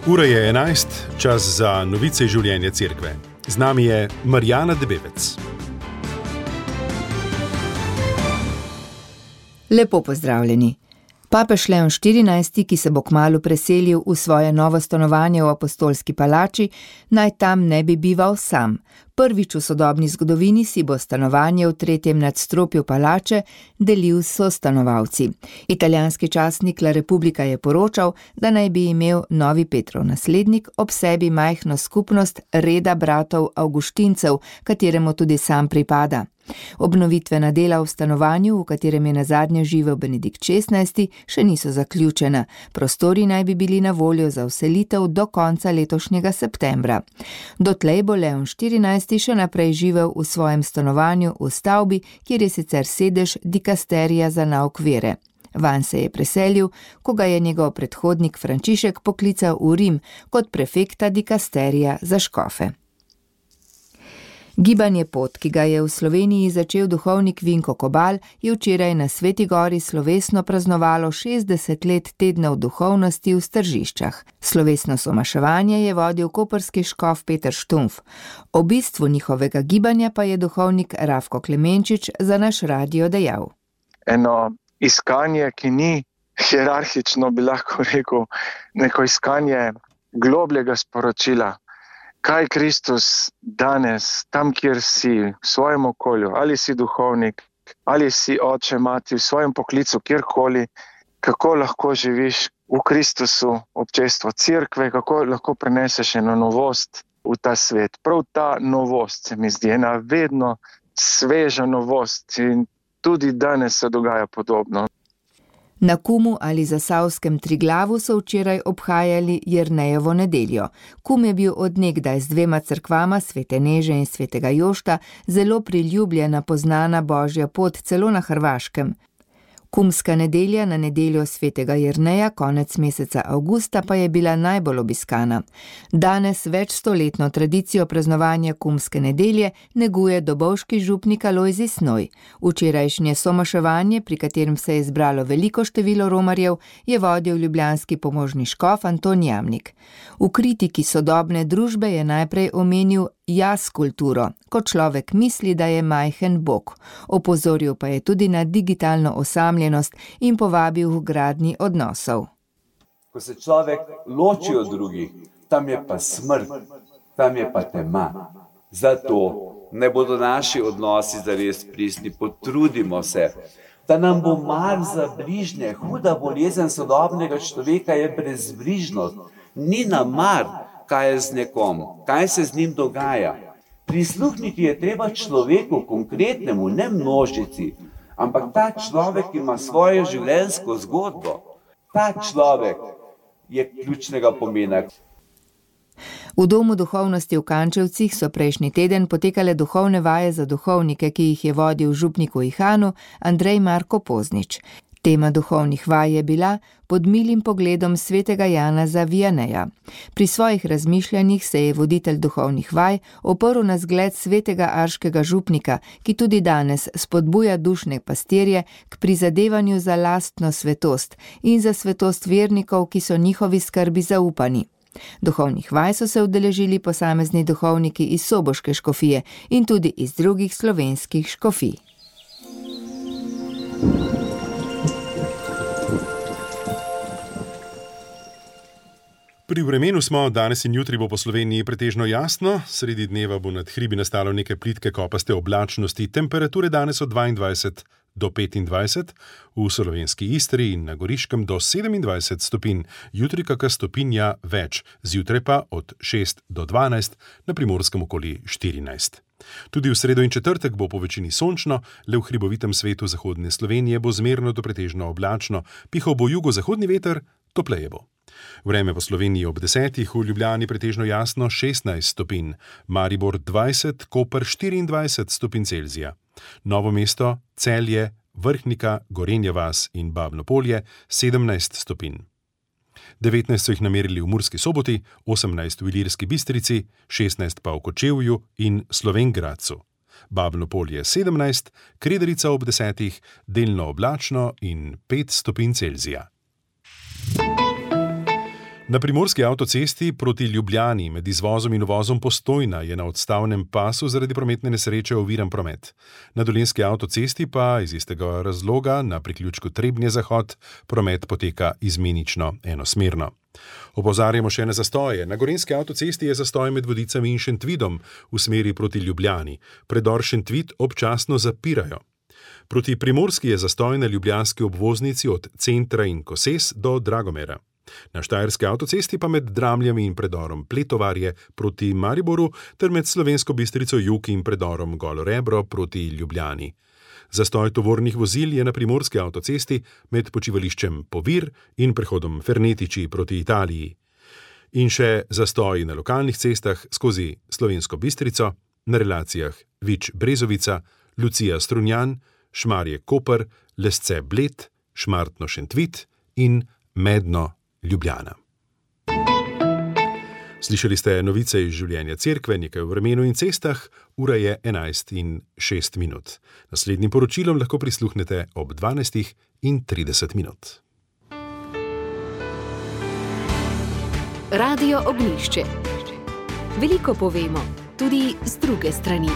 Ura je 11, čas za novice iz življenja cerkve. Z nami je Marjana Debevec. Lepo pozdravljeni. Papež Leon XIV, ki se bo kmalu preselil v svoje novo stanovanje v Apostolski palači, naj tam ne bi bival sam. Prvič v sodobni zgodovini si bo stanovanje v 3. nadstropju palače delil s sostanovalci. Italijanski časnik La Repubblica je poročal, da naj bi imel novi Petrov naslednik ob sebi majhno skupnost reda bratov Avguštincev, kateremu tudi sam pripada. Obnovitvena dela v stanovanju, v katerem je nazadnje živel Benedikt XVI, še niso zaključena. Prostori naj bi bili na voljo za vselitev do konca letošnjega septembra. Dotlej bo Leon XIV še naprej živel v svojem stanovanju v stavbi, kjer je sicer sedež dikasterija za nauk vere. Vanj se je preselil, ko ga je njegov predhodnik Frančišek poklical v Rim kot prefekta dikasterija za škofe. Gibanje Pot, ki ga je v Sloveniji začel duhovnik Vinko Kobal, je včeraj na Sveti gori slovesno praznovalo 60 let tednov duhovnosti v Stržiščah. Slovesno somaševanje je vodil koprski škof Peter Štumpf. O bistvu njihovega gibanja pa je duhovnik Rafko Klemenčič za naš radio dejal. Eno iskanje, ki ni hierarhično, bi lahko rekel, neko iskanje globljega sporočila. Kaj Kristus danes, tam kjer si, v svojem okolju, ali si duhovnik, ali si oče, mati, v svojem poklicu, kjerkoli, kako lahko živiš v Kristusu, občestvo cerkve, kako lahko preneseš eno novost v ta svet. Prav ta novost se mi zdi ena vedno sveža novost in tudi danes se dogaja podobno. Na Kumu ali zasavskem Triglavu so včeraj obhajali Jernejevo nedeljo. Kum je bil od nekdaj z 2 cerkvama, Svete Neže in Svetega Jošta, zelo priljubljena poznana Božja pot celo na Hrvaškem. Kumska nedelja na nedeljo Svetega Jerneja konec meseca avgusta pa je bila najbolj obiskana. Danes večstoletno tradicijo praznovanja kumske nedelje neguje dobovški župnik Alojzij Snoj. Včerajšnje somaševanje, pri katerem se je zbralo veliko število romarjev, je vodil ljubljanski pomožni škof Anton Jamnik. V kritiki sodobne družbe je najprej omenil jaz kulturo, ko človek misli, da je majhen bog. Opozoril pa je tudi na digitalno osamljenost in povabil k gradnji odnosov. Ko se človek loči od drugih, tam je pa smrt, tam je pa tema. Zato ne bodo naši odnosi zares pristni, potrudimo se, da nam bo mar za bližnje. Huda bolezen sodobnega človeka je brezbrižnost. Ni nam mar, kaj je z nekom, kaj se z njim dogaja. Prisluhniti je treba človeku konkretnemu, ne množici, ampak ta človek ima svojo življenjsko zgodbo. Ta človek je ključnega pomena. V Domu duhovnosti v Kančevcih so prejšnji teden potekale duhovne vaje za duhovnike, ki jih je vodil župnik v Ihanu Andrej Marko Poznič. Tema duhovnih vaj je bila pod milim pogledom svetega Janeza Vianeja. Pri svojih razmišljanjih se je voditelj duhovnih vaj oprl na zgled svetega arškega župnika, ki tudi danes spodbuja dušne pastirje k prizadevanju za lastno svetost in za svetost vernikov, ki so njihovi skrbi zaupani. Duhovnih vaj so se udeležili posamezni duhovniki iz soboške škofije in tudi iz drugih slovenskih škofij. Pri vremenu smo, danes in jutri bo po Sloveniji pretežno jasno, sredi dneva bo nad hribi nastalo nekaj plitke kopaste oblačnosti, temperature danes od 22 do 25, v slovenski Istri in na Goriškem do 27 stopinj, jutri kakšna stopinja več, zjutraj pa od 6 do 12, na Primorskem okoli 14. Tudi v sredo in četrtek bo po večini sončno, le v hribovitem svetu zahodne Slovenije bo zmerno do pretežno oblačno, pihal bo jugozahodni veter, topleje bo. Vreme v Sloveniji ob 10, v Ljubljani pretežno jasno 16 stopinj, Maribor 20, Koper 24 stopinj Celzija. Novo mesto, Celje, Vrhnika, Gorenja vas in Babno Polje 17 stopinj. 19 so jih namerili v Murski Soboti, 18 v Ilirski Bistrici, 16 pa v Kočevju in Slovenj Gradcu. Babno Polje 17, Krederica ob 10, delno oblačno in 5 stopinj Celzija. Na primorski avtocesti proti Ljubljani med izvozom in uvozom Postojna je na odstavnem pasu zaradi prometne nesreče oviran promet. Na dolenjski avtocesti pa iz istega razloga na priključku Trebnje-Zahod promet poteka izmenično enosmerno. Opozarjamo še na zastoje. Na gorenjski avtocesti je zastoj med Vodicami in Šentvidom v smeri proti Ljubljani. Predor Šentvid občasno zapirajo. Proti Primorski je zastoj na ljubljanski obvoznici od Centra in Koses do Dragomera. Na štajerski avtocesti pa med Dramljami in predorom Pletovarje proti Mariboru ter med Slovensko Bistrico jug in predorom Golo Rebro proti Ljubljani. Zastoj tovornih vozil je na primorski avtocesti med počivališčem Povir in prehodom Fernetiči proti Italiji. In še zastoj na lokalnih cestah skozi Slovensko Bistrico, na relacijah Vič-Brezovica, Lucija-Strunjan, Šmarje-Koper, Lesce-Bled, Šmartno-Šentvid in Medno-Ljubljana. Slišali ste novice iz življenja cerkve, nekaj o vremenu in cestah, ura je 11:06. Naslednjim poročilom lahko prisluhnete ob 12:30. Radio Ognjišče. Veliko povemo, tudi z druge strani.